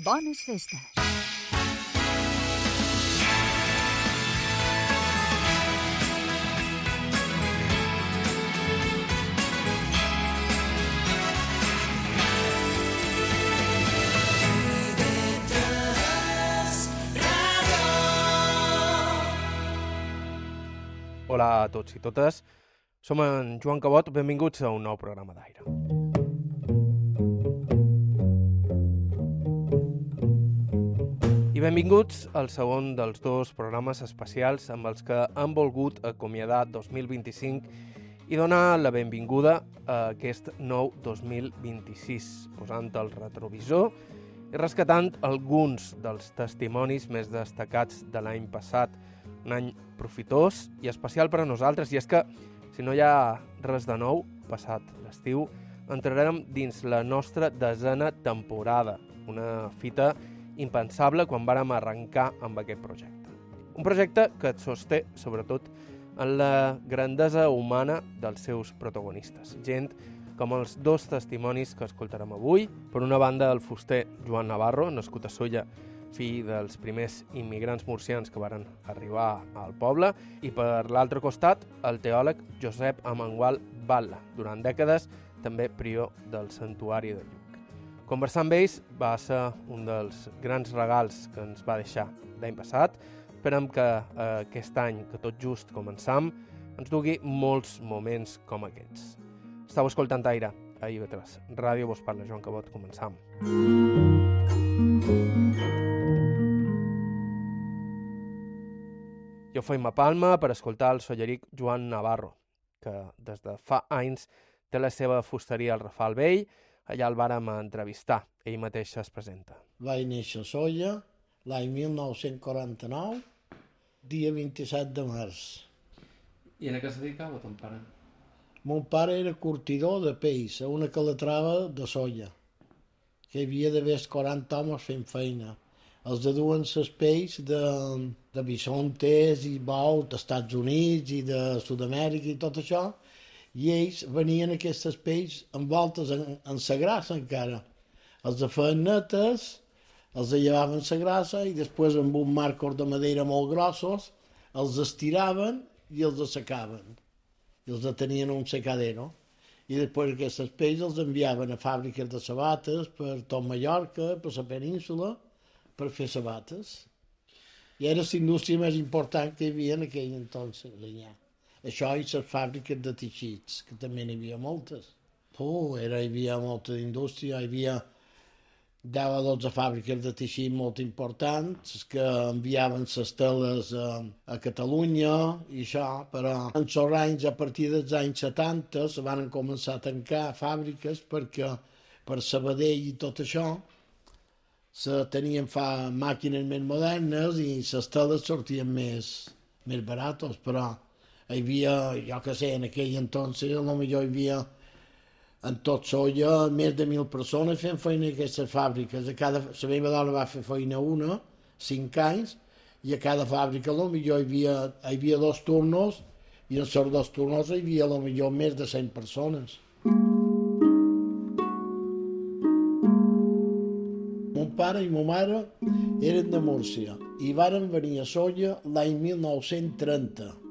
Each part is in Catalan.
Bones festes. Hola a tots i totes, som en Joan Cabot, benvinguts a un nou programa d'Aire. I benvinguts al segon dels dos programes especials amb els que han volgut acomiadar 2025 i donar la benvinguda a aquest nou 2026, posant el retrovisor i rescatant alguns dels testimonis més destacats de l'any passat, un any profitós i especial per a nosaltres, i és que, si no hi ha res de nou, passat l'estiu, entrarem dins la nostra 10a temporada, una fita impensable quan vàrem arrencar amb aquest projecte. Un projecte que et sosté, sobretot, en la grandesa humana dels seus protagonistes, gent com els dos testimonis que escoltarem avui. Per una banda, el fuster Joan Navarro, nascut a Sóller, fill dels primers immigrants murcians que varen arribar al poble, i per l'altre costat, el teòleg Josep Amengual Batlle, durant dècades també prior del santuari de Lluc. Conversar amb ells va ser un dels grans regals que ens va deixar l'any passat. Esperem que aquest any, que tot just començam, ens dugui molts moments com aquests. Estau escoltant Aire, a IB3 Ràdio, vos parla Joan Cabot, començam. Jo feim a Palma per escoltar el solleric Joan Navarro, que des de fa anys té la seva fusteria al Rafal Vell. Allà el vàrem entrevistar, ell mateix es presenta. Vaig néixer a Sóller l'any 1949, dia 27 de març. I en què es dedicava ton pare? Mon pare era curtidor de peix a una calatrava de Sóller, que hi havia d'haver 40 homes fent feina. Els de duen ses peix de bisontes i bous d'Estats Units i de Sud-amèrica i tot això, i ells venien aquestes peix envoltes en sa grassa encara. Els de feien netes, els de llevaven sa grassa i després amb un marcos de madera molt grossos els estiraven i els assecaven. I els tenien un secadero. I després aquestes peix els enviaven a fàbriques de sabates per tot Mallorca, per la península, per fer sabates. I era la indústria més important que hi havia en aquell entonces allà. Això i les fàbriques de teixits, que també n'hi havia moltes. Hi havia molta indústria, hi havia 10 o 12 fàbriques de teixit molt importants que enviaven les teles a Catalunya i això, però en els anys, a partir dels anys 70, se van començar a tancar fàbriques perquè per Sabadell i tot això se tenien màquines més modernes i les teles sortien més barates, però hi havia, jo què sé, en aquell entonces, potser hi havia en tot Sóller més de 1.000 persones fent feina en aquestes fàbriques. La meva dona va fer feina 5 anys, i a cada fàbrica potser hi havia 2 turnos, i en els 2 turnos hi havia potser més de 100 persones. Mon pare i ma mare eren de Múrcia i varen venir a Sóller l'any 1930.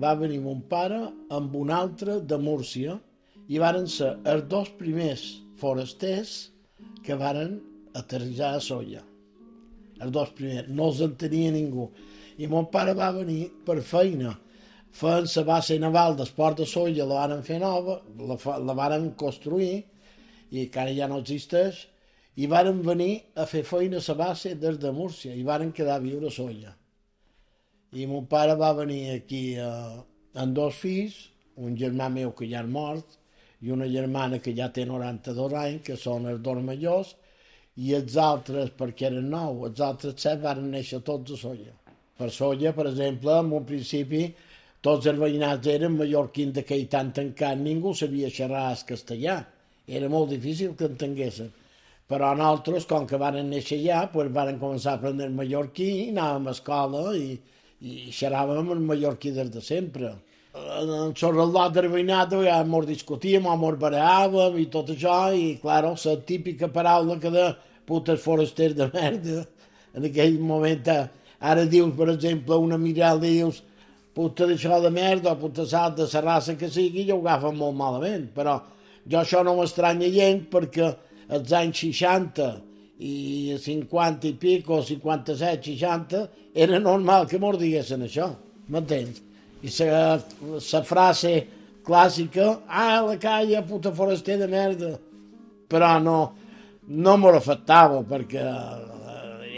Va venir mon pare amb un altre de Múrcia i varen ser els 2 primers forasters que varen aterrissar a Sóller. Els 2 primers, no els entenia ningú. I mon pare va venir per feina. Feien la base naval del port de Sóller, la varen fer nova, la varen construir, i encara ja no existeix, i varen venir a fer feina a la base des de Múrcia i varen quedar a viure a Sóller. I mon pare va venir aquí amb 2 fills, un germà meu que ja és mort i una germana que ja té 92 anys, que són els 2 majors, i els altres, perquè eren 9, els altres 7 van néixer tots a Sóller. Per Sóller, per exemple, en un principi, tots els veïnats eren mallorquins d'aquell tant tancat, ningú sabia xerrar el castellà, era molt difícil que entenguessin. Però nosaltres, com que van néixer allà, doncs van començar a aprendre el mallorquí, anàvem a escola i xerràvem el mallorquí des de sempre. En el de veïnat ja ens discutíem, ens barallàvem i tot això, i clar, la típica paraula que de putes forasters de merda. En aquell moment, ara dius, per exemple, una mirada, dius, puta d'això de merda o puta sal de la raça que sigui, i ho agafen molt malament. Però jo això no m'estranya gens perquè als anys 60 i 50 i pico, 57, 60, era normal que mos diguessin això, m'entens? I la frase clàssica, la calla, puta foraster de merda, però no m'ho afectava perquè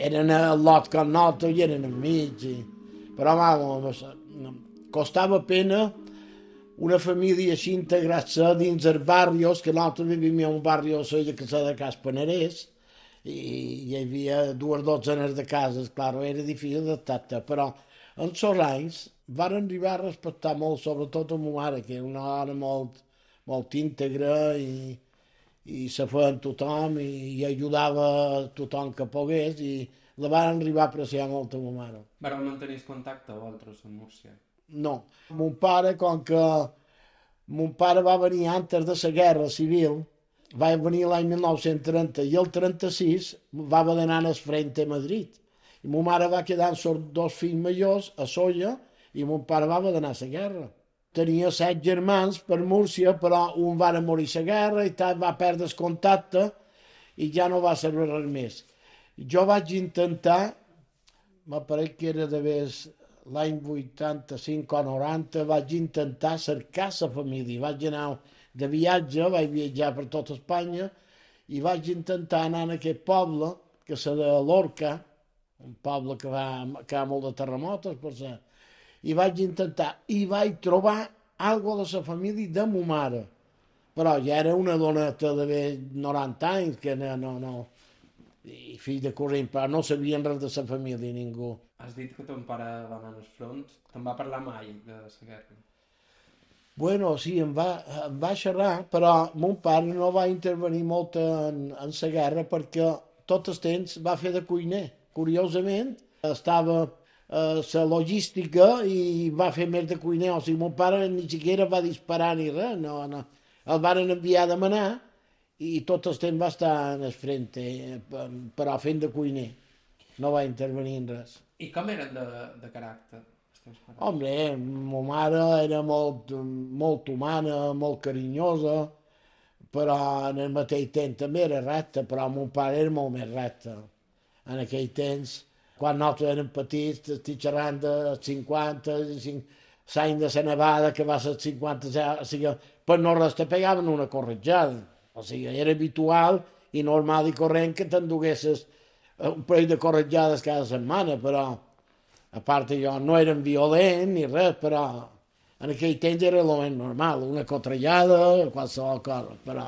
eren al lot com nosaltres i eren enmig. Però vamos, costava pena una família així integrar-se dins els barrios, que nosaltres vivíem en un barri a Solla que s'ha de Cas Panarès, i hi havia 2 dotzenes de cases, clar, era difícil d'adaptar-te, però en els anys van arribar a respectar molt, sobretot a ma mare, que era una dona molt íntegra i se feia amb tothom i ajudava a tothom que pogués i la van arribar a apreciar molt a ma mare. Vareu mantenir contacte vosaltres amb Múrcia? No. Mon pare, com que mon pare va venir antes de la Guerra Civil, va venir l'any 1930 i el 36 va haver d'anar al frente a Madrid. I ma mare va quedar amb els 2 fills majors a Solla i mon pare va haver d'anar a la guerra. Tenia 7 germans per Múrcia, però un va morir a la guerra i tal, va perdre el contacte i ja no va servir res més. Jo vaig intentar, m'apareix que era d'haver l'any 85 o 90, vaig intentar cercar la família. Vaig anar de viatge, vaig viatjar per tota Espanya i vaig intentar anar a aquest poble, que és de Lorca, un poble que ha molt de terremotos, per ser. I vaig intentar, i vaig trobar algo de la família de ma mare. Però ja era una doneta d'haver 90 anys, que no, i fill de corrent, però no sabien res de la família, ningú. Has dit que ton pare va anar al front, te'n va parlar mai de la guerra? Bueno, sí, em va xerrar, però mon pare no va intervenir molt en la guerra perquè tot el temps va fer de cuiner. Curiosament, estava la logística i va fer més de cuiner. O sigui, mon pare ni siquiera va disparar ni res, no. El van enviar a demanar i tot el temps va estar en el frente, però fent de cuiner. No va intervenir en res. I com eren de caràcter? Home, ma mare era molt humana, molt carinyosa, però en el mateix temps també era recta, però mon pare era molt més recte. En aquell temps, quan nosaltres érem petits, estic xerrant de 50, l'any de la nevada, que va ser 50, o sigui, per no res te pegaven una corretjada. O sigui, era habitual i normal i corrent que t'enduguessis un parell de corretjades cada setmana, però a part jo no eren violent ni res, però en aquell temps era el més normal, una cotrellada, qualsevol cosa, però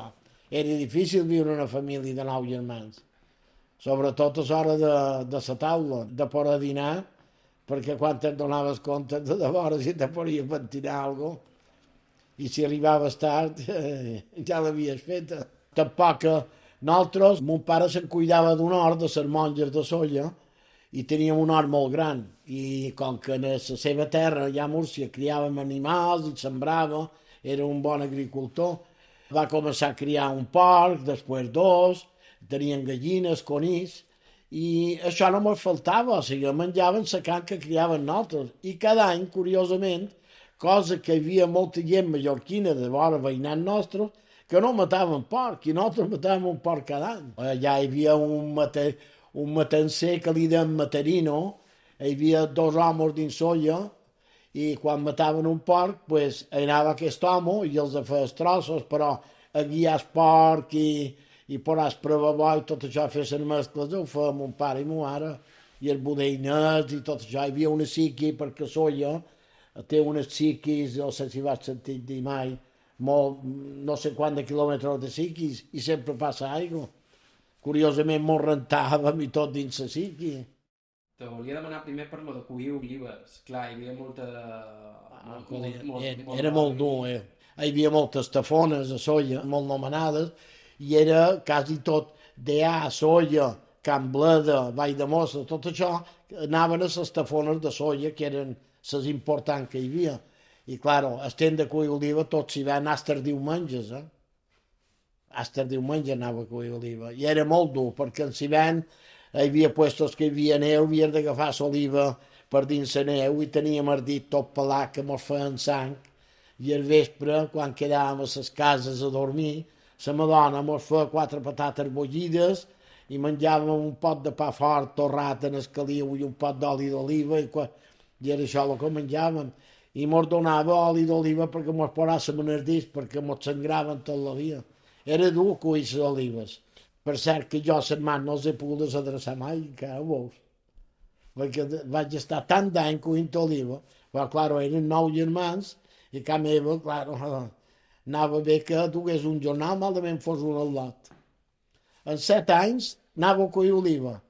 era difícil viure una família de 9 germans. Sobretot a l'hora de la taula, de poder dinar, perquè quan et donaves compte de vora si te podia pentinar alguna cosa, i si arribaves tard ja l'havies feta. Tampoc nosaltres, mon pare se'n cuidava d'un hort de les monges de Solla, i teníem un hort molt gran, i com que en la seva terra, allà a Múrcia, criàvem animals i sembrava, era un bon agricultor, va començar a criar un porc, després 2, tenien gallines, conills, i això no me'n faltava, o sigui, menjaven la carn que criaven nosaltres, i cada any, curiosament, cosa que hi havia molta gent mallorquina de vora veïnat nostre, que no mataven porc, i nosaltres matàvem un porc cada any. Allà hi havia un matancer que li deien Matarino, hi havia 2 homes dins Solla, i quan mataven un porc, pues, anava aquest home i els feia trossos, però a guiar el porc i posar el provabó i tot això, fer les mescles, ho feia mon pare i ma mare, i els budeinets i tot això. Hi havia una síqui, perquè Solla té unes síquis, no sé si vas sentir dir mai, no sé quant de quilòmetres de síquis, i sempre passa aigua. Curiosament mos rentàvem i tot dins la síqui. Te volia demanar primer per lo de collir olives. Clar, hi havia molta... Era molt dur, Hi havia moltes tafones a Solla, molt nomenades, i era quasi tot d'A, Solla, Can Bleda, Vall de Mossa, tot això, anaven a les tafones de Solla, que eren les importants que hi havia. I, clar, estem de collir oliva, tot s'hi va anar els diumenges, fins el diumenge anava a collir oliva. I era molt dur, perquè en l'hivern hi havia puestos que hi havia neu, havies d'agafar l'oliva per dins la neu i teníem el dit tot pelat que mos feien sang. I al vespre, quan quedàvem a les cases a dormir, la madona mos feia 4 patates bullides i menjàvem un pot de pa fort torrat en el caliu i un pot d'oli d'oliva i era això el que menjàvem. I mos donava oli d'oliva perquè mos posàssim en el disc, perquè mos sangraven tot el dia. Era dur collir les olives. Per cert que jo a les mans no els he pogut adreçar mai, encara ho veus. Perquè vaig estar tant d'any collint oliva, però, clar, eren 9 germans, i a casa meva, clar, anava bé que dugués un jornal, malament fos un al lot. En 7 anys anava a collir oliva.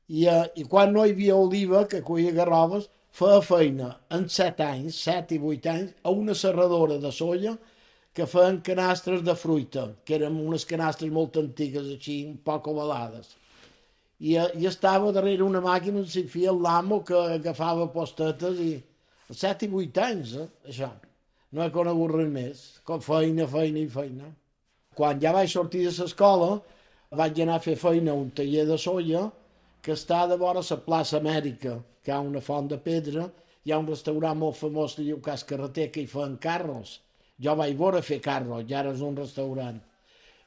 I quan no hi havia oliva, que collia garroves, feia feina en 7 anys, 7 i 8 anys, a una serradora de soia que feien canastres de fruita, que eren unes canastres molt antigues, així, un poc ovalades. I estava darrere una màquina on s'hi feia l'amo que agafava postetes i... 7 i 8 anys, això. No he conegut res més, com feina, feina i feina. Quan ja vaig sortir de l'escola, vaig anar a fer feina a un taller de soia que està de vora la plaça Amèrica, que hi ha una font de pedra, hi ha un restaurant molt famós que diu Cas Carreter, que hi feien carros. Jo vaig veure fer carros, ja era un restaurant.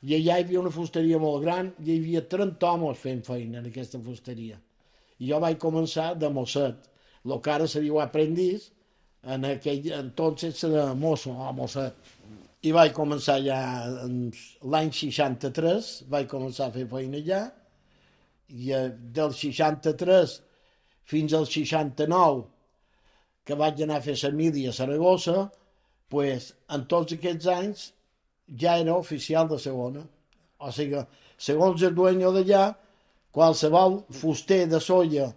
I allà hi havia una fusteria molt gran i hi havia 30 homes fent feina en aquesta fusteria. I jo vaig començar de mosset, el que ara se diu aprendiz, entonces era mosso o mosset. I vaig començar ja l'any 63, vaig començar a fer feina allà, i del 63 fins al 69, que vaig anar a fer la mili a Saragossa, pues, en tots aquests anys ja era oficial de segona. O sigui, segons el dueño d'allà, qualsevol fuster de soia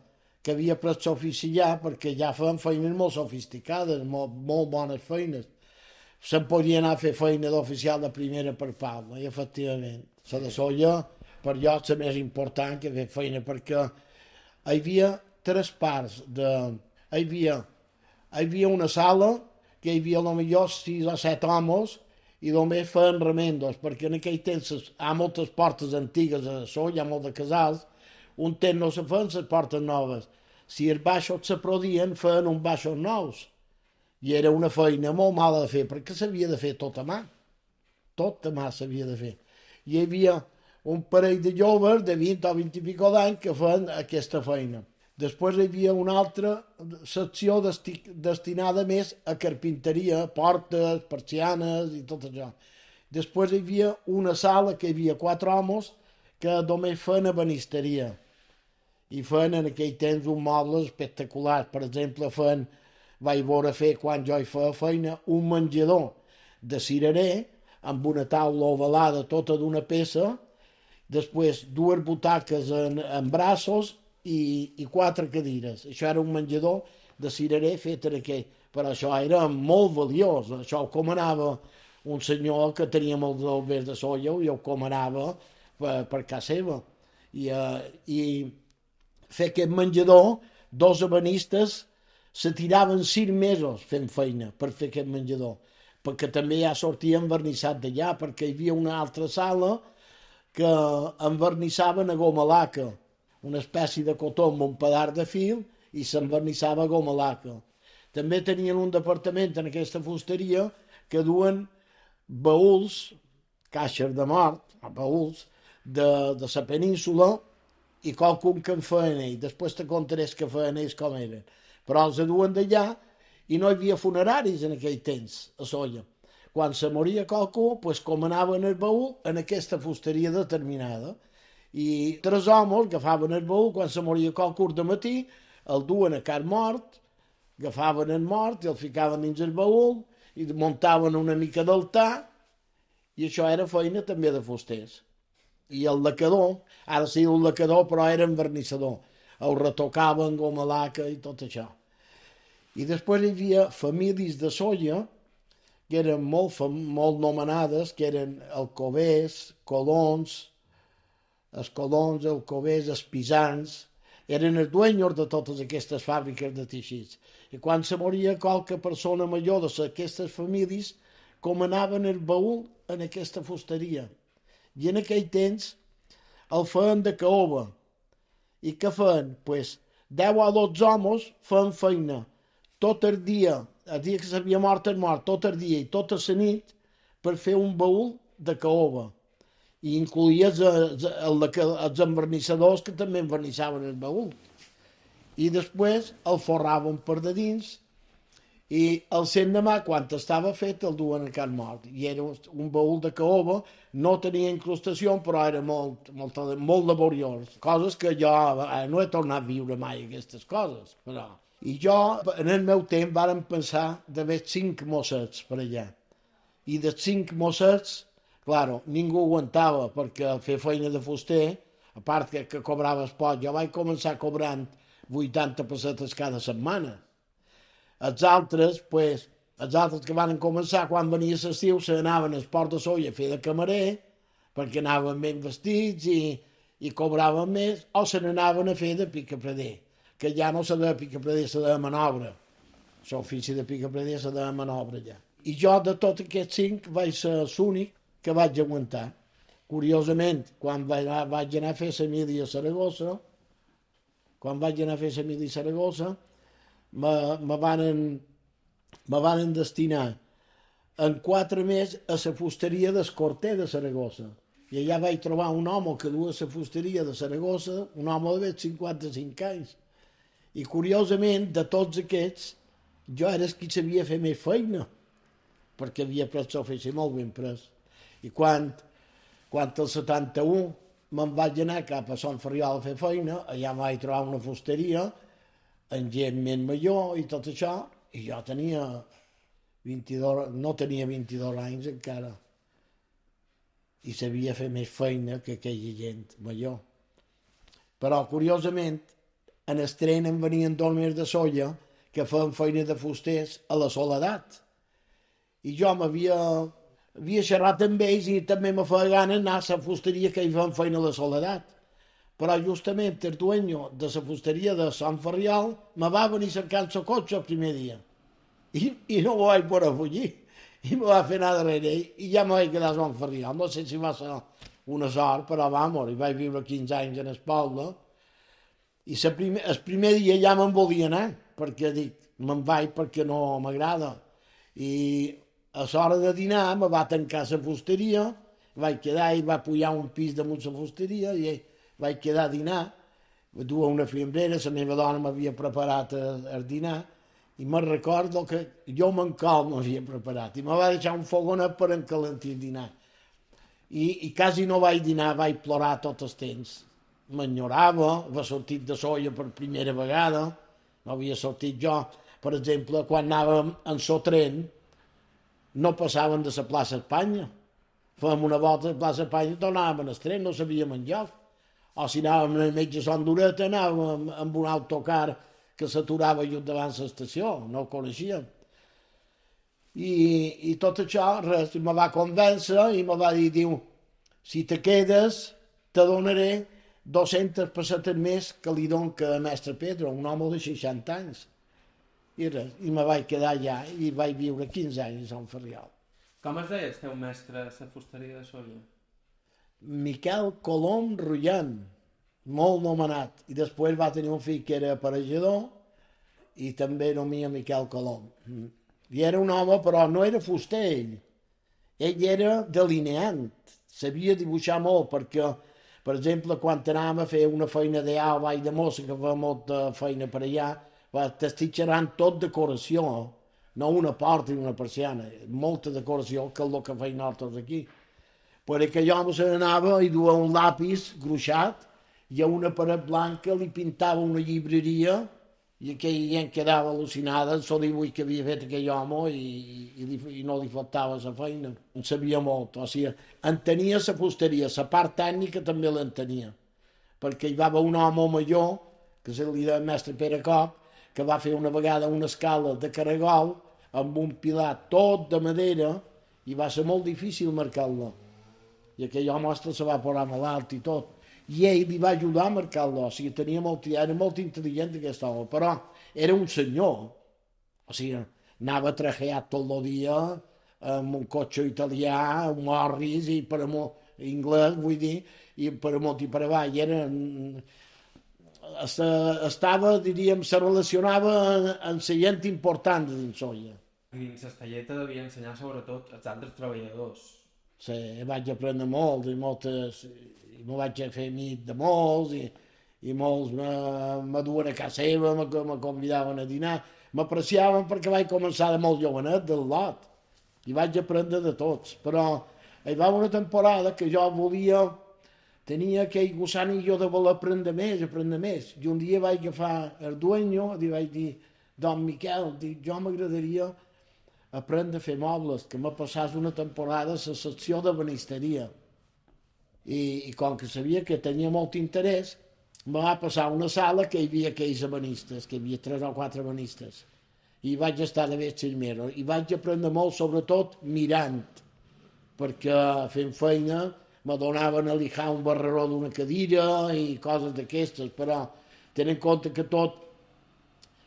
que havia pres l'ofici allà, perquè ja feien feines molt sofisticades, molt bones feines, se'n podia anar a fer feina d'oficial de primera per Palma, i efectivament. La de soia, per jo, és la més important que fer feina, perquè hi havia 3 parts. Hi havia una sala que hi havia potser 6 o 7 homes i només feien remendos, perquè en aquell temps hi ha moltes portes antigues a soia, hi ha molt de casals, un temps no se feien les portes noves. Si els baixos se prodien, feien uns baixos nous. I era una feina molt mala de fer, perquè s'havia de fer tot a mà. Tot a mà s'havia de fer. I hi havia un parell de joves de 20 o 20 i pico d'anys que feien aquesta feina. Després hi havia una altra secció destinada més a carpinteria, portes, persianes i tot això. Després hi havia una sala que hi havia 4 homes que només feien ebenisteria. I feien en aquell temps uns mobles espectaculars. Per exemple, vaig veure fer, quan jo hi feia feina, un menjador de cirerer amb una taula ovalada tota d'una peça, després 2 butaques en braços i 4 cadires. Això era un menjador de cirerer fet en aquell. Però això era molt valiós. Això ho comanava un senyor que tenia molts albers de soia i ho comanava per casa seva. I fer aquest menjador, 2 ebenistes se tiraven 6 mesos fent feina per fer aquest menjador, perquè també ja sortia envernissat d'allà, perquè hi havia una altra sala que envernissaven a goma laca, una espècie de cotó amb un pedar de fil i s'envernissava a goma laca. També tenien un departament en aquesta fusteria que duen baúls, caixes de mort, baúls, de la península i qualcun que en feien ells. Després te contaré que feien ells com eren. Però els duen d'allà i no hi havia funeraris en aquell temps, a Solla. Quan se moria qualcú, pues, comanaven el baúl en aquesta fusteria determinada. I 3 homes agafaven el baúl, quan se moria qualcú de matí, el duen a car mort, agafaven el mort i el ficaven dins el baúl i muntaven una mica d'altar, i això era feina també de fusters. I el lacador, ara sí un lacador, però era envernissador. El retocaven, goma laca i tot això. I després hi havia famílies de soia que eren molt nomenades, que eren alcovers, colons, els pisans, eren els dueños de totes aquestes fàbriques de teixits. I quan se moria qualque persona major d'aquestes famílies, comanaven el baúl en aquesta fusteria. I en aquell temps el feien de caoba. I què feien? Pues 10 o 12 homes feien feina tot el dia que s'havia mort, tot el dia i tota la nit per fer un baúl de caoba. I incloïa els envernissadors que també envernissaven el baúl. I després el forraven per de dins i el l'endemà, quan estava fet, el duen a Can Mort. I era un baúl de caoba, no tenia incrustació, però era molt laboriós. Coses que jo no he tornat a viure mai, aquestes coses. Però. I jo, en el meu temps, vàrem pensar d'haver 5 mossets per allà. I dels 5 mossets, claro, ningú aguantava, perquè fer feina de fuster, a part que cobraves poc, jo vaig començar cobrant 80 pessetes cada setmana. Els altres que van començar, quan venia l'estiu, se n'anaven al Port de Solla a fer de camarer, perquè anaven ben vestits i cobraven més, o se n'anaven a fer de picapreder, que ja no se de picapreder, se de manobra. L'ofici de picapreder se de manobra ja. I jo, de tots aquests 5, vaig ser l'únic que vaig aguantar. Curiosament, quan vaig anar a fer la mili a Saragossa, me van destinar en 4 mesos a la fusteria d'Escorter de Saragossa. I allà vaig trobar un home que duia la fusteria de Saragossa, un home de 55 anys. I curiosament, de tots aquests, jo era el que sabia fer més feina, perquè havia pres l'ofici molt ben pres. I quan el 71 me'n vaig anar cap a Sant Ferriol a fer feina, allà em vaig trobar una fusteria, amb gent més major i tot això, i jo tenia 22, no tenia 22 anys encara, i sabia fer més feina que aquella gent major. Però, curiosament, en el tren em venien dormir de Solla que feien feina de fusters a la Soledat. I jo havia xerrat amb ells i també me feia gana anar a la fusteria que hi feien feina a la Soledat. Però justament el dueño de la fusteria de Sant Ferriol me va venir cercant el cotxe el primer dia. I no ho vaig poder fugir. I me va fer anar darrere ell i ja me vaig quedar a Sant Ferriol. No sé si va ser una sort, però vamos, hi vaig viure 15 anys en Espolda. I el primer dia ja me'n volia anar, perquè dic, me'n vaig perquè no m'agrada. I a l'hora de dinar me va tancar la fusteria, vaig quedar i va pujar un pis damunt la fusteria i vaig quedar a dinar. Duia una fiambrera, la meva dona m'havia preparat el dinar i me'n recordo que jo m'encol m'havia preparat i me va deixar un fogonet per encalentir el dinar. I quasi no vaig dinar, vaig plorar tot el temps. M'enyorava, havia sortit de Solla per primera vegada, no havia sortit jo. Per exemple, quan anàvem en el tren, no passaven de la plaça Espanya. Fèiem una volta a la plaça Espanya i tornàvem al tren, no sabíem enlloc. O si anàvem al metge Sant Dureta, anàvem amb un autocar que s'aturava just davant l'estació, no ho coneixíem. I tot això, res, me va convèncer i me va dir, diu, si te quedes, te donaré 200 pessetes més que li dono que a mestre Pedro, un home de 60 anys. I res, i me vaig quedar allà i vaig viure 15 anys a Sant Ferriol. Com es deia el teu mestre a la fusteria de Solla? Miquel Colom Rullant, molt nomenat. I després va tenir un fill que era aparejador i també nomia Miquel Colom. I era un home, però no era fuster ell. Ell era delineant, sabia dibuixar molt perquè, per exemple, quan anàvem a fer una feina d'allà al Vall de Mossa, que fa molta feina per allà, t'estic xerrant tot decoració, no una porta i una persiana, molta decoració, que és el que feim nosaltres aquí. Per aquell home se n'anava i duia un lapis gruixat i a una paret blanca li pintava una llibreria i aquella gent quedava al·lucinada en el dibuix que havia fet aquell home i no li faltava la feina. En sabia molt, o sigui, entenia la fusteria, la part tècnica també l'entenia, perquè hi va haver un home major, que se li deia mestre Pere Coc, que va fer una vegada una escala de caragol amb un pilar tot de madera i va ser molt difícil marcar-lo. I aquell home se va posar malalt i tot. I ell li va ajudar a marcar-lo, o sigui, era molt intel·ligent aquest home, però era un senyor, o sigui, anava trajat tot el dia amb un cotxe italià, un Morris, i per amunt, anglès, vull dir, i per amunt i per avall. Estava, diríem, se relacionava amb la gent important de dins Solla. Dins Estelleta devia ensenyar sobretot als altres treballadors. Sí, vaig aprendre molt, i me vaig fer amic de molts, i molts me duen a casa seva, me convidaven a dinar, m'apreciaven perquè vaig començar de molt jovenet, del lot, i vaig aprendre de tots, però hi va una temporada que jo tenia aquell gusanillo de voler aprendre més, i un dia vaig agafar el dueño i vaig dir, don Miquel, jo m'agradaria aprendre a fer mobles, que m'ha passat una temporada a la secció de banisteria, i com que sabia que tenia molt interès, me va passar una sala que hi havia aquells ebanistes, que hi havia 3 o 4 ebanistes, i vaig estar de vestimero, i vaig aprendre molt, sobretot mirant, perquè fent feina me donaven a lijar un barreró d'una cadira i coses d'aquestes, però tenint en compte que tot,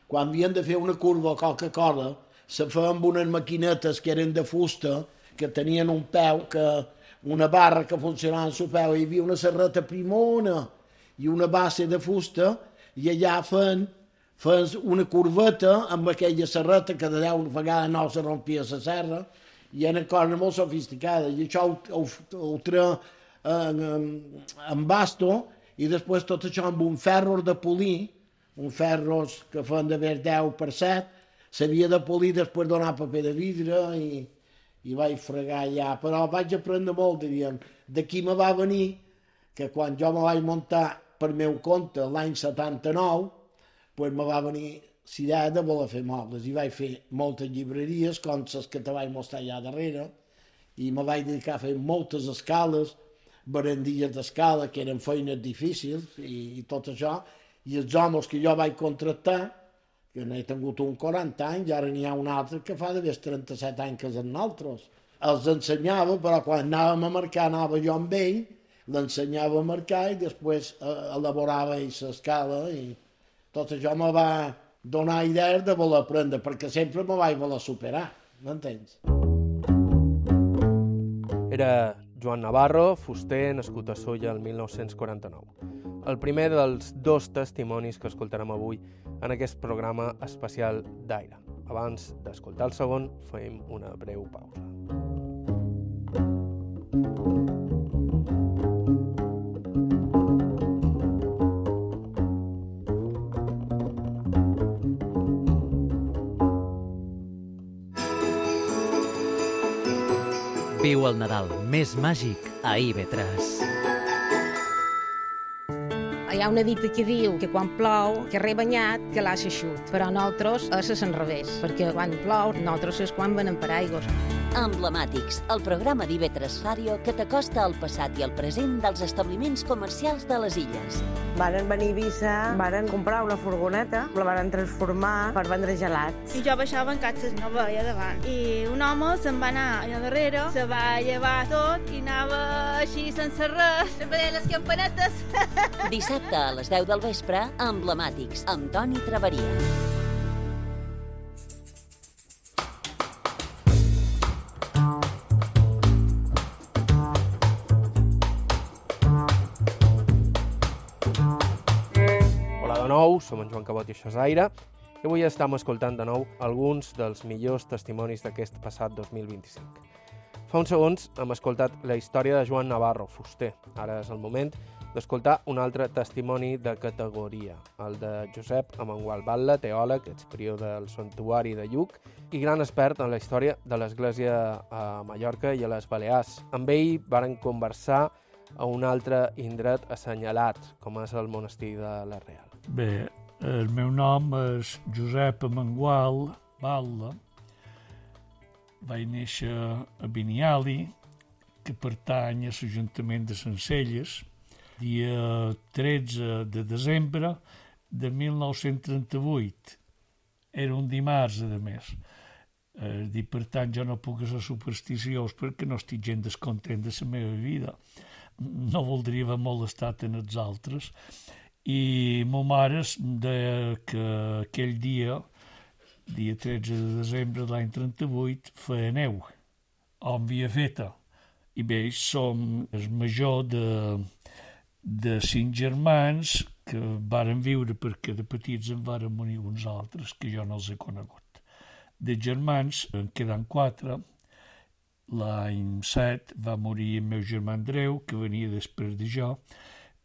quan havien de fer una curva o qualque-cosa, se feien amb unes maquinetes que eren de fusta, que tenien un peu, una barra que funcionava en el peu, hi havia una serreta primona i una base de fusta, i allà feien una curveta amb aquella serreta que de 10 vegades no se rompia la serra, i eren coses molt sofisticades, i això ho treia en basto, i després tot això amb un ferro de polir, un ferros que feien d'haver 10 per 7, s'havia de polir, després donar paper de vidre, i vaig fregar allà, però vaig aprendre molt, diríem. D'aquí me va venir que quan jo me vaig muntar per meu compte l'any 79, doncs me va venir l'idea de voler fer mobles, i vaig fer moltes llibreries, com les que te vaig mostrar allà darrere, i me vaig dedicar a fer moltes escales, barandilles d'escala, que eren feines difícils, i tot això, i els homes que jo vaig contractar, que n'he tingut un 40 anys, i ara n'hi ha un altre que fa d'haver 37 anys que és amb nosaltres. Els ensenyava, però quan anàvem a marcar anava jo amb ell, l'ensenyava a marcar i després elaborava l'escala, i tot això me va donar idees de voler aprendre, perquè sempre me vaig voler superar, m'entens? Era Joan Navarro, fuster, nascut a Sóller el 1949. El primer dels 2 testimonis que escoltarem avui en aquest programa especial d'Aire. Abans d'escoltar el segon, fem una breu pausa. Viu el Nadal més màgic a IB3. Hi ha una dita que diu que quan plou, que rebanyat, que l'ha eixut. Però nosaltres és al revés, perquè quan plou, nosaltres és quan venem paraigües. Emblemàtics, el programa d'IB3 Ràdio que t'acosta al passat i al present dels establiments comercials de les illes. Varen venir a Eivissa, varen comprar una furgoneta, la varen transformar per vendre gelats. I jo baixava en catxes, no veia davant. I un home se'n va anar allà darrere, se va llevar tot i anava així sense res, veient les campanetes. Dissabte a les 10 del vespre, Emblemàtics, amb Toni Traveria. Som en Joan Cabot i això és Aire, i avui estem escoltant de nou alguns dels millors testimonis d'aquest passat 2025. Fa uns segons hem escoltat la història de Joan Navarro, fuster. Ara és el moment d'escoltar un altre testimoni de categoria, el de Josep Amengual Batlle, teòleg, exprior del Santuari de Lluc i gran expert en la història de l'Església a Mallorca i a les Balears. Amb ell varen conversar a un altre indret assenyalat, com és el monestir de la Real. Bé, el meu nom és Josep Amengual Batlle. Vaig néixer a Biniali, que pertany a l'Ajuntament de Sencelles, dia 13 de desembre de 1938. Era un dimarts, a més. I per tant, jo no puc ser supersticiós perquè no estic gens descontent de la meva vida. No voldria haver molestat en els altres. I ma mare deia que aquell dia, dia 13 de desembre de l'any 38, feia neu. on havia feta. I bé, som el major de 5 germans que varen viure perquè de petits en varen morir uns altres, que jo no els he conegut. De germans en queden 4. L'any 7 va morir el meu germà Andreu, que venia després de jo,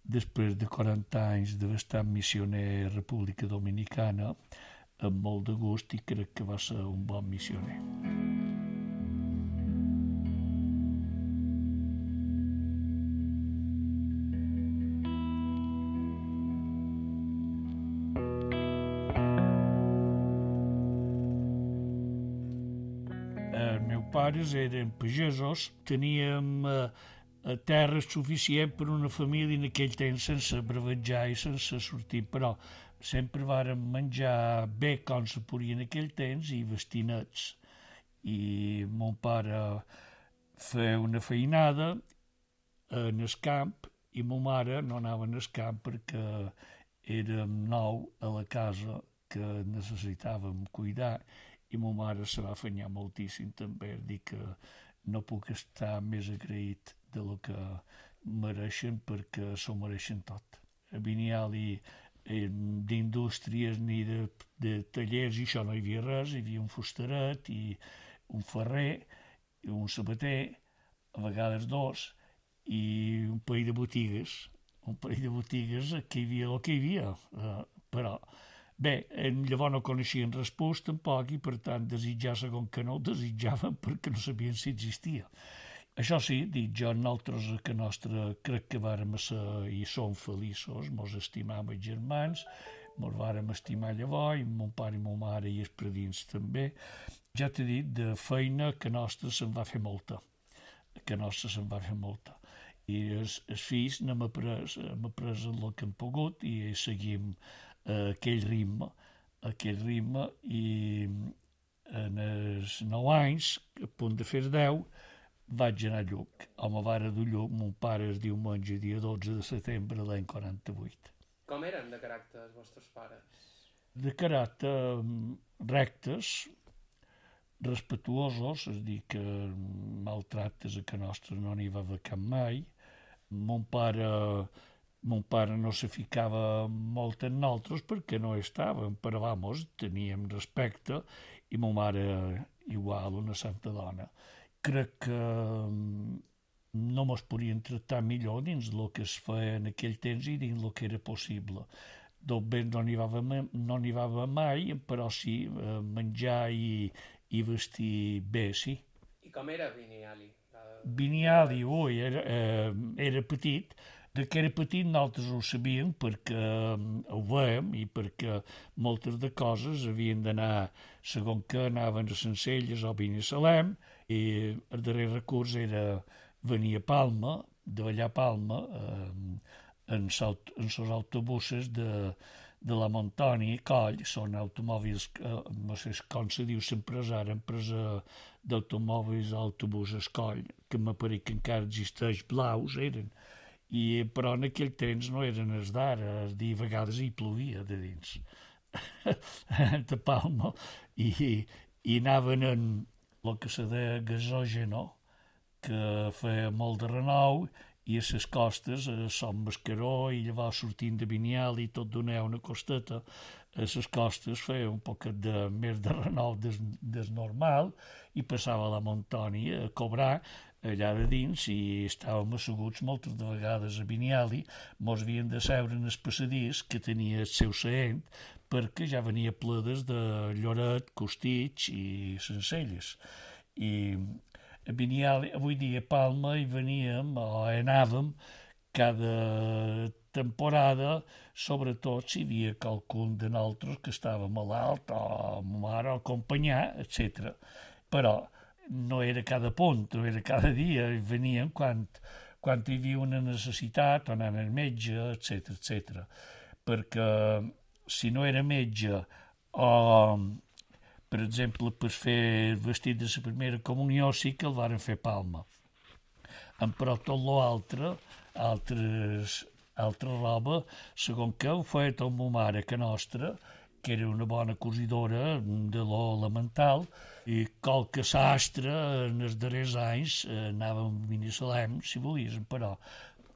després de 40 anys d'haver estat missioner a República Dominicana, amb molt de gust, i crec que va ser un bon missioner. Els meus pares eren pagesos, teníem terra suficient per una família en aquell temps sense bravejar i sense sortir, però sempre vàrem menjar bé com se podia en aquell temps i vestir nets. I mon pare feia una feinada en el camp i ma mare no anava en el camp perquè érem 9 a la casa que necessitàvem cuidar i ma mare se va afanyar moltíssim també. Dic que no puc estar més agraït de lo que mereixen perquè s'ho mereixen tot. A Biniali d'indústries ni de tallers i això no hi havia res, hi havia un fustaret i un ferrer i un sabater, a vegades 2, i un parell de botigues. Un parell de botigues que hi havia el que hi havia, però bé, llavors no coneixien respòs tampoc i per tant desitjar segon que no ho desitjaven perquè no sabien si existia. Això sí, dic jo, nosaltres a casa nostra crec que vàrem ser i som feliços, mos estimam els germans, mos vàrem estimar llavors, i mon pare i mon mare i els predins també. Ja t'he dit, de feina que nostra se'n va fer molta, I els fills n'hem après el que hem pogut i seguim aquell ritme i en els 9 anys, a punt de fer 10, vaig anar a Lluc. Home, vara dur Lluc, mon pare es diumenge, dia 12 de setembre de l'any 48. Com eren de caràcter els vostres pares? De caràcter rectes, respetuosos, és a dir, que maltractes a casa nostra no n'hi va haver cap mai. Mon pare no se ficava molt en nosaltres perquè no estàvem, però vamos, teníem respecte, i ma mare igual, una santa dona. Crec que no mos podien tractar millor dins el que es feia en aquell temps i dins el que era possible. Tot bé no n'hi va haver mai, però sí, menjar i vestir bé, sí. I com era Biniali? Biniali, era petit. De que era petit nosaltres ho sabíem perquè ho veiem i perquè moltes de coses havien d'anar, segons que anaven a Sencelles o a Binissalem, i el darrer recurs era venir a Palma, de allà a Palma, en els autobusos de la Montoni i Coll. Són automòbils, no sé com se diu l'empresa d'automòbils autobusos Coll, que m'apareix que encara existeix, blaus eren. Però en aquell temps no eren els d'ara, a vegades hi plovia de dins de Palma i anaven en el que se deia gasògeno, que feia molt de renou, i a les costes, a Son Mascaró, i llavors sortint de Biniali, tot donava una costeta, a les costes feia un poquet més de renou des normal, i passava a la Montoni a cobrar allà de dins, i estàvem asseguts moltes de vegades a Biniali, mos havien de seure en el passadís que tenia el seu seient, perquè ja venia pledes de Lloret, Costitx i Sencelles. I a Biniali, avui dia a Palma, hi veníem o anàvem cada temporada, sobretot si hi havia qualcun de nosaltres que estava malalt o mare o acompanyar, etc. Però no era cada punt, no era cada dia, venien quan hi havia una necessitat, o anant al metge, etc. Perquè si no era metge o, per exemple, per fer el vestit de la primera comunió sí que el varen fer a Palma. Però tot l'altre, altra roba, segons que ho feia tot ma mare, que nostra, que era una bona cosidora de lo elemental, i qualque sastre en els darrers anys anava amb Binissalem, si volies, però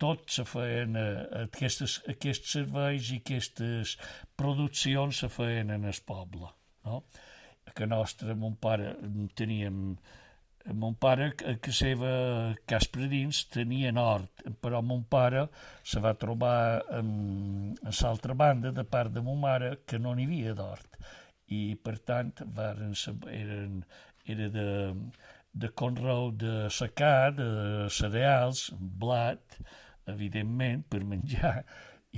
tot se feien, aquests serveis i aquestes produccions se feien en el poble, no? A casa nostra, mon pare, a casa seva, Caspredins, tenia hort, però mon pare se va trobar a l'altra banda, de part de mon mare, que no n'hi havia d'hort. I, per tant, era de conreu de secà, de cereals, blat, evidentment, per menjar,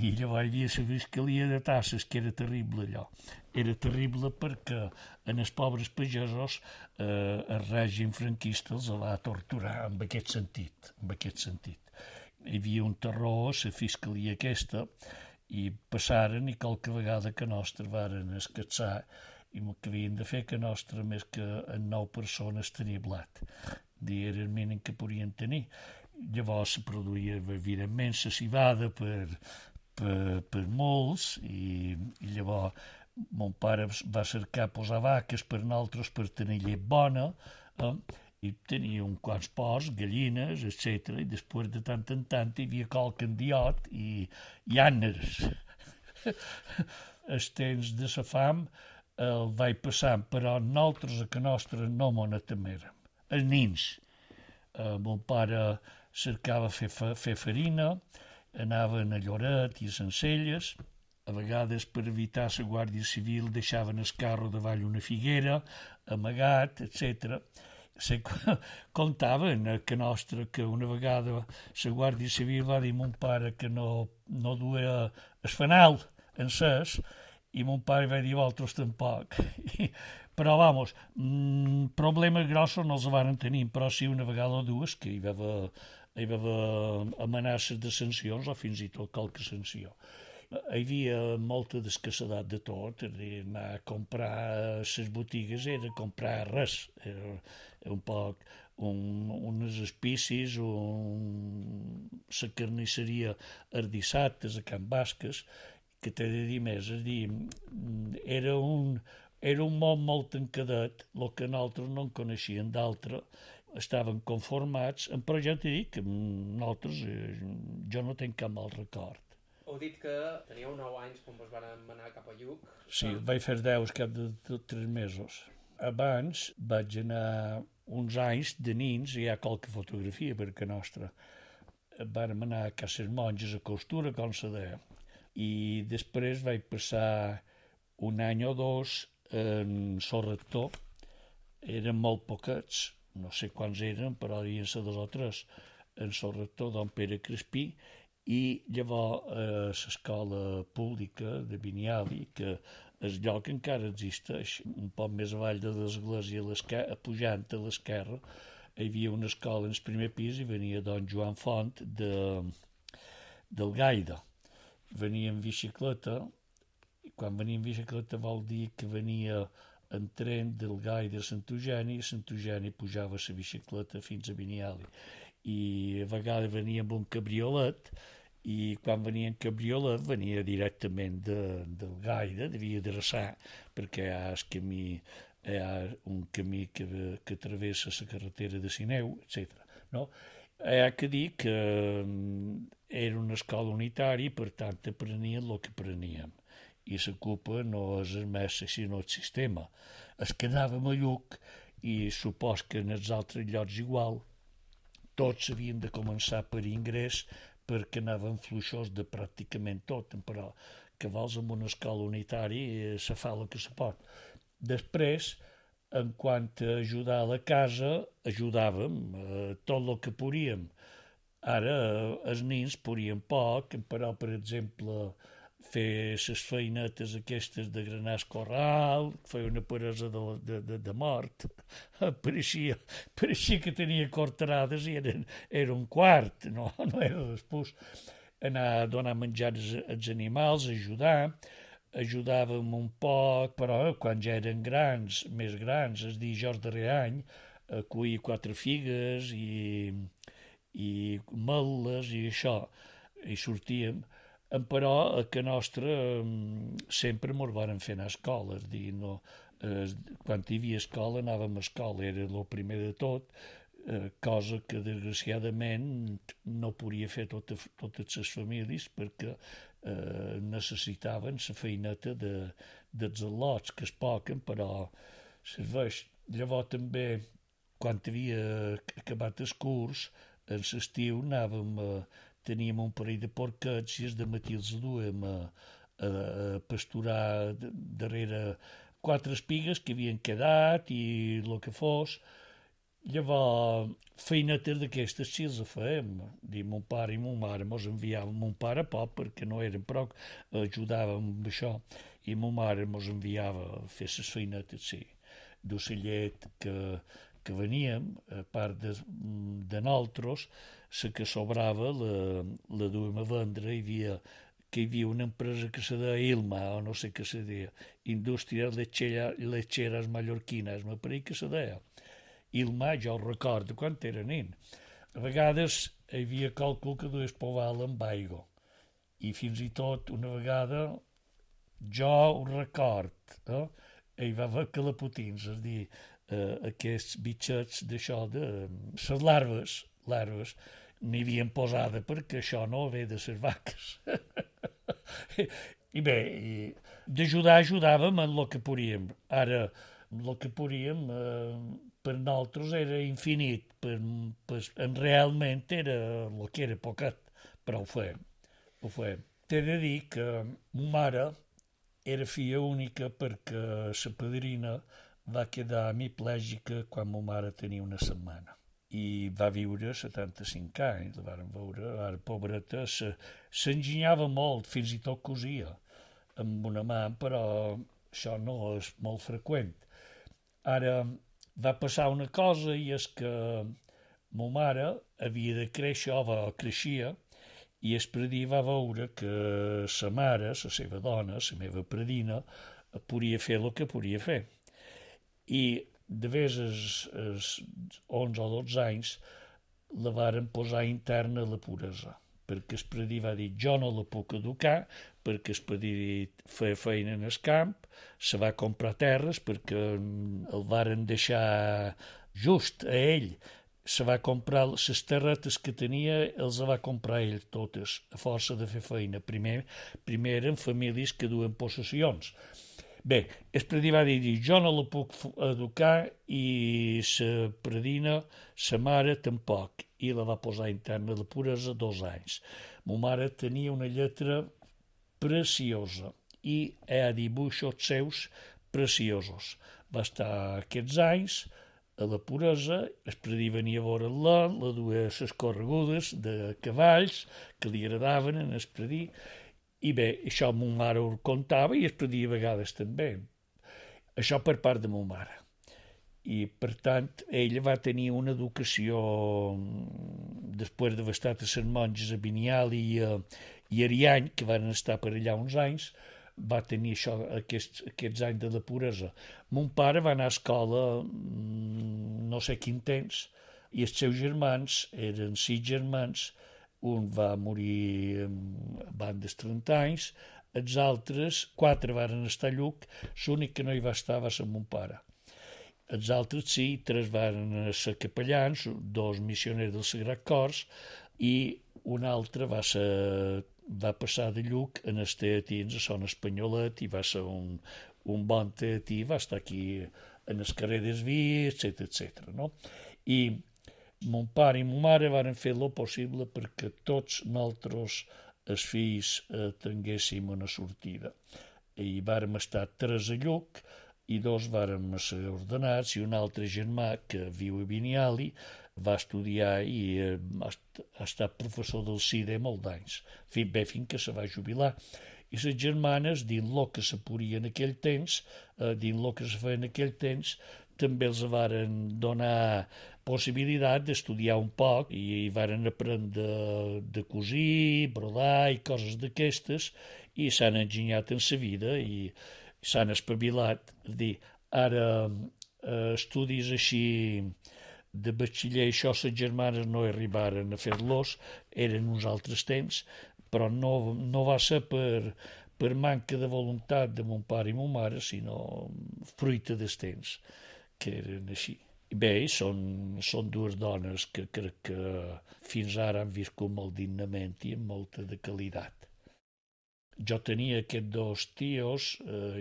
i llavors hi havia la fiscalia de tasses, que era terrible allò. Era terrible perquè en els pobres pagesos el règim franquista els va torturar en aquest sentit. Hi havia un terror a la fiscalia aquesta i passaren i qualque vegada que nostre varen escatzar i el que havien de fer que nostre més que en 9 persones tenia blat. Era el mínim que podien tenir. Llavors se produïa evidentment la civada per molts i llavors mon pare va cercar posar vaques per nosaltres per tenir llet bona i tenia uns quants porcs, gallines, etc. I després de tant en tant hi havia qualque endiot i àneres. Els temps de la fam el vaig passant, però nosaltres a casa nostra no m'ho temérem. Els nins. Mon pare cercava fer farina, anaven a Lloret i a Sencelles. A vegades, per evitar la Guàrdia Civil, deixaven el carro davall una figuera, amagat, etc. Contaven que nostre que una vegada la Guàrdia Civil va dir a mon pare que no duia el fanal encès i mon pare va dir vosaltres tampoc. Però, vamos, problemes grossos no els van tenir, però sí una vegada o dues que hi va haver amenaces de sancions o fins i tot qualque sanció. Hi havia molta d'escassedat de tot, anar a comprar a les botigues era comprar res, era un poc unes espicis, la carnisseria els dissabtes a Can Basques, que t'he de dir més, és a dir, era un món molt tancadet, el que nosaltres no en coneixien d'altre, estaven conformats, però ja t'he dit que nosaltres, jo no tenc cap mal record. Heu dit que teníeu 9 anys quan vos van anar cap a Lluc. Sí, vaig fer 10 cap de 3 mesos. Abans vaig anar uns anys de nins, hi ha qualque fotografia per casa nostra. Vam anar a Cases Monges a Costura, com se deia. I després vaig passar un any o dos en Sol Rector. Eren molt poquets, no sé quants eren, però devien ser 2 o 3, en Sol Rector, don Pere Crespí, i llavors l'escola pública de Biniali, que el lloc encara existeix, un poc més avall de l'església, pujant a l'esquerra, hi havia una escola en el primer pis i venia don Joan Font del Gaida. Venia en bicicleta, i quan venia en bicicleta vol dir que venia en tren del Gaida a Sant Eugeni, i a Sant Eugeni pujava la bicicleta fins a Biniali. I a vegades venia amb un cabriolet, i quan venia en cabriolet venia directament del Gaida, devia adreçar, perquè hi ha un camí que travessa la carretera de Sineu, etc. No? Hi ha que dir que era una escola unitària i, per tant, aprenien el que apreníem. I la culpa no és el mestre, sinó el sistema. Es quedàvem a Lluc i supos que en els altres llocs igual, tots havien de començar per ingrés perquè anaven fluixos de pràcticament tot, però que vols amb una escola unitària se fa el que se pot. Després, en quant a ajudar a la casa, ajudàvem tot el que podíem. Ara els nins podien poc, però, per exemple, fer les feinetes aquestes de granar el corral, fer una peresa de mort. Pareixia que tenia cortarades i era un quart, no era després. Anar a donar menjar als animals, ajudàvem un poc, però quan ja eren grans, més grans, és dir, jo el darrer any, a cuir 4 figues i mel·les i això, i sortíem. Però a que nostra sempre mos varen fer anar a escola, és dir, no, quan hi havia escola anàvem a escola, era el primer de tot, cosa que desgraciadament no podia fer totes les famílies perquè necessitaven la feineta dels al·lots, que es poquen, però serveix. Llavors també, quan havia acabat el curs, en l'estiu teníem un parell de porquets i el matí els duem a pasturar darrere 4 espigues que havien quedat i el que fos. Llavors, feinetes d'aquestes sí els fèiem. Mon pare i mon mare mos enviaven, mon pare poc perquè no eren, però ajudàvem amb això, i mon mare mos enviava a fer les feinetes, sí, d'ocellet que veníem, a part de nosaltres, la que sobrava la duem a vendre. Hi havia una empresa que se deia Ilma, o no sé què se deia, Indústries Lecheras Mallorquines, me pareix que se deia. Ilma, jo ho recordo quan era nen. A vegades hi havia càlcul que dues poval amb aigua. I fins i tot una vegada, jo ho record, hi va haver calapotins, és a dir, aquests bitxets d'això, de les larves, n'hi havien posada perquè això no ve de les vaques. I bé, ajudàvem en el que podíem. Ara, el que podíem per nosaltres era infinit, realment era el que era poquet, però ho fem. T'he de dir que ma mare era filla única perquè la padrina va quedar hemiplègica quan ma mare tenia una setmana i va viure 75 anys, la vàrem veure, ara pobreta, s'enginyava molt, fins i tot cosia amb una mà, però això no és molt freqüent. Ara va passar una cosa, i és que ma mare havia de créixer, creixia, i el predí va veure que sa mare, la seva dona, la meva predina, podia fer el que podia fer. I de vegades als 11 o 12 anys la varen posar interna a la puresa, perquè el predí va dir jo no la puc educar, perquè el predí feia feina en el camp, se va comprar terres perquè el varen deixar just a ell, se va comprar les terretes que tenia, els va comprar ell totes, a força de fer feina. Primer eren famílies que duen possessions. Bé, el predí va dir jo no la puc educar i la predina, sa mare, tampoc, i la va posar interna de puresa 2 anys. Ma mare tenia una lletra preciosa i hi ha dibuixos seus preciosos. Va estar aquests anys a la puresa, el predí venia a veure-la, la duia a les corregudes de cavalls que li agradaven en el predí. I bé, això ma mare ho contava i el predí a vegades també. Això per part de ma mare. I, per tant, ella va tenir una educació, després d'haver estat a les monges a Biniali i Ariany, que van estar per allà uns anys, va tenir això, aquests anys de la puresa. Mon pare va anar a escola no sé quin temps, i els seus germans eren 6 germans. Un va morir abans dels 30 anys, els altres 4 varen estar a Lluc, l'únic que no hi va estar va ser mon pare. Els altres sí, 3 varen ser capellans, 2 missioners del Sagrat Cors, i un altre va passar de Lluc en els teatins a Son Espanyolet, i va ser un bon teatí, va estar aquí en el carrer des Vies, etc. No? I mon pare i ma mare varen fer el possible perquè tots nosaltres, els fills, tinguéssim una sortida. I vàrem estar 3 a Lluc i 2 vàrem ser ordenats, i un altre germà que viu a Biniali va estudiar i ha estat professor del CIDE molts anys, fins que se va jubilar. I les germanes, dins el que se podia en aquell temps, dins el que se feia en aquell temps, també els varen donar possibilitat d'estudiar un poc i varen aprendre de cosir, brodar i coses d'aquestes, i s'han enginyat en la vida i s'han espavilat. És dir, ara estudis així de batxiller, això les germanes no arribaren a fer-los, eren uns altres temps, però no va ser per manca de voluntat de mon pare i mon mare, sinó fruita dels temps, que eren així. I bé, són dues dones que crec que fins ara han viscut molt dignament i amb molta de qualitat. Jo tenia aquests dos tios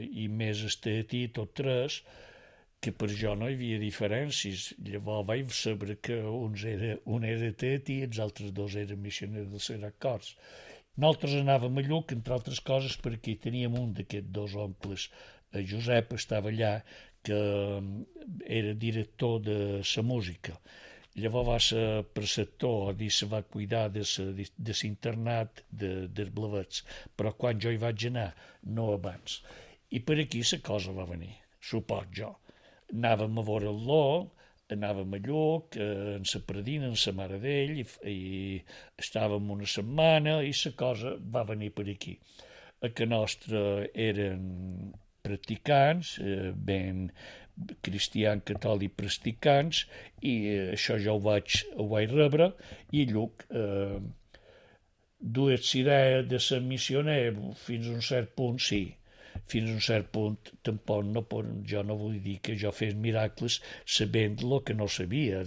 i més este tot tres, que per jo no hi havia diferències. Llavors vaig saber que un era tetí i els altres dos eren missioners dels Serrat Corts. Nosaltres anàvem a Lluc, entre altres coses, perquè teníem un d'aquests dos oncles, Josep, estava allà, que era director de la música. Llavors va ser preceptor i se va cuidar de l'internat dels Blavets, però quan jo hi vaig anar, no abans. I per aquí la cosa va venir, suport jo. Anàvem a veure el Ló, anàvem a Lluc, en la Pradina, en la mare d'ell, i estàvem una setmana i la cosa va venir per aquí. A que nostre eren practicants, ben cristians, catòlics practicants, i això jo ho vaig rebre, i Lluc dues idees de ser missioner fins a un cert punt, sí. Fins a un cert punt, tampoc jo no vull dir que jo fes miracles sabent el que no sabia,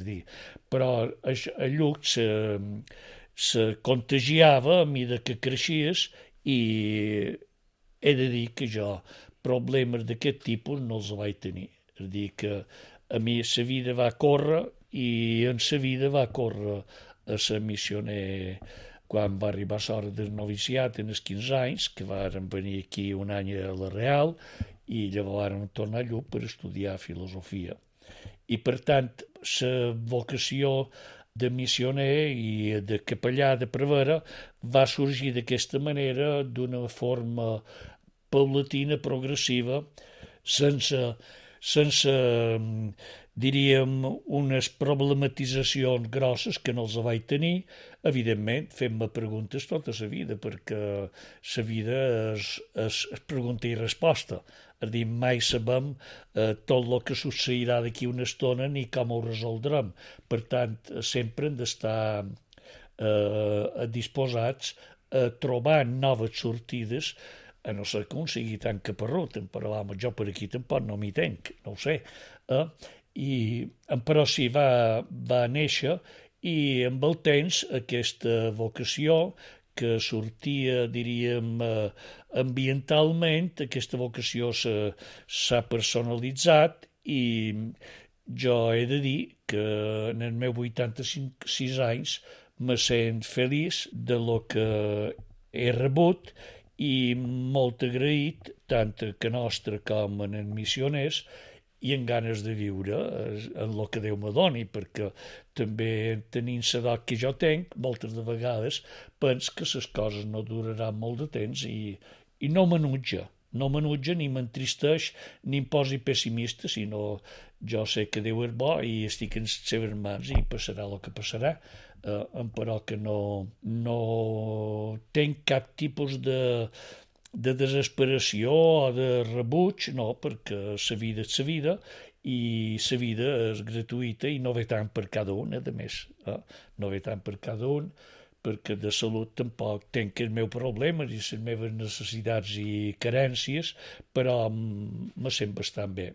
però a Lluc se contagiava a mesura que creixies i he de dir que jo problemes d'aquest tipus no els vaig tenir. És a dir, que a mi la vida va córrer i en la vida va córrer a ser missioner quan va arribar l'hora del noviciat en els 15 anys, que vàrem venir aquí un any a la Real i llavors vàrem tornar a Lluc per estudiar filosofia. I per tant, la vocació de missioner i de capellà de prevere va sorgir d'aquesta manera, d'una forma paulatina, progressiva, sense diríem, unes problematitzacions grosses que no els vaig tenir, evidentment fent-me preguntes tota la vida, perquè la vida és pregunta i resposta. És a dir, mai sabem tot el que succeirà d'aquí una estona ni com ho resoldrem. Per tant, sempre hem d'estar disposats a trobar noves sortides, a no ser que un sigui tan caparrut, però jo per aquí tampoc no m'hi tenc, no ho sé. Però sí, va néixer i amb el temps aquesta vocació que sortia, diríem, ambientalment, aquesta vocació s'ha personalitzat i jo he de dir que en els meus 86 anys me sent feliç de lo que he rebut i molt agraït tant a que nostre com en els missioners i en ganes de viure en el que Déu me doni, perquè també tenint l'edat que jo tenc, moltes de vegades penso que les coses no duraran molt de temps i no m'enutja ni m'entristeix ni em posi pessimista, sinó jo sé que Déu és bo i estic en les seves mans i passarà el que passarà, però que no tenc cap tipus de desesperació o de rebuig, no, perquè la vida és la vida i la vida és gratuïta i no ve tant per cada un, a més, no ve tant per cada un, perquè de salut tampoc tenc els meus problemes i les meves necessitats i carències, però me sent bastant bé.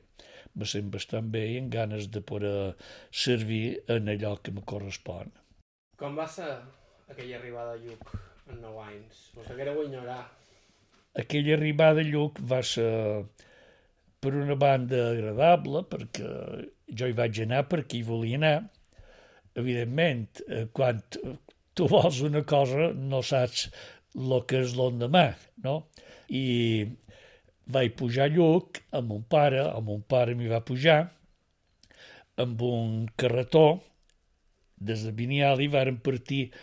Me sent bastant bé i amb ganes de poder servir en allò que me correspon. Com va ser aquella arribada a Lluc en 9 anys? Us haguéreu ignorar. Aquella arribada a Lluc va ser, per una banda, agradable, perquè jo hi vaig anar perquè hi volia anar. Evidentment, quan tu vols una cosa no saps el que és l'endemà, no? I vaig pujar a Lluc amb mon pare m'hi va pujar amb un carretó des de Biniali, vàrem partir,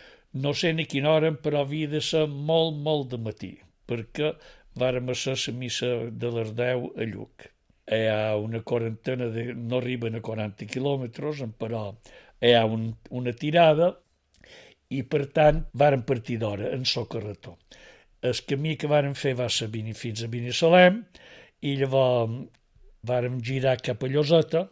no sé ni quina hora, però havia de ser molt, molt de matí, perquè vàrem fer la missa de les 10 a Lluc. Hi ha una quarantena, no arriben a 40 quilòmetres, però hi ha una tirada i, per tant, vàrem partir d'hora en el carretó. El camí que vàrem fer va ser fins a Binissalem i llavors vàrem girar cap a Lloseta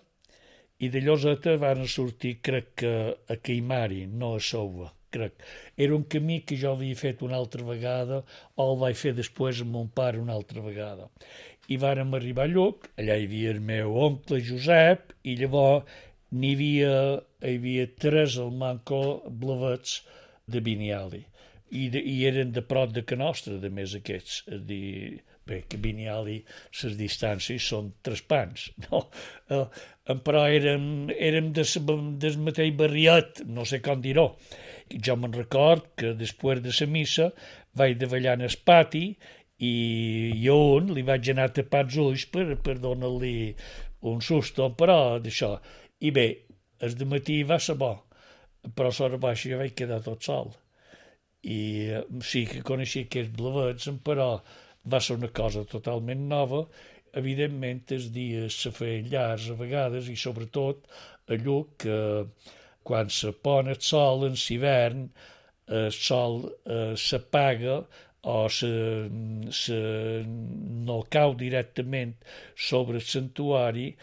i de Lloseta vàrem sortir, crec que a Caimari, no a Souva, crec. Era un camí que jo havia fet una altra vegada, o el vaig fer després amb mon pare una altra vegada. I vàrem arribar a Lluc, allà hi havia el meu oncle Josep, i llavors hi havia 3 al manco blavets de Biniali. I eren de prop de que nostra, de més aquests. És a dir, bé, que Biniali, les distàncies són 3 pans, no? Però érem del mateix barriet, no sé com dir-ho. Jo me'n record que després de la missa vaig davallar en el pati i jo li vaig anar a tapar els ulls per donar-li un susto, però d'això. I bé, el dematí va ser bo, però a l'hora baixa jo vaig quedar tot sol. I sí que coneixia aquests blavets, però va ser una cosa totalment nova. Evidentment, els dies se feien llargs a vegades, i sobretot a Lluc, quan se pon el sol en l'hivern, el sol s'apaga o no cau directament sobre el santuari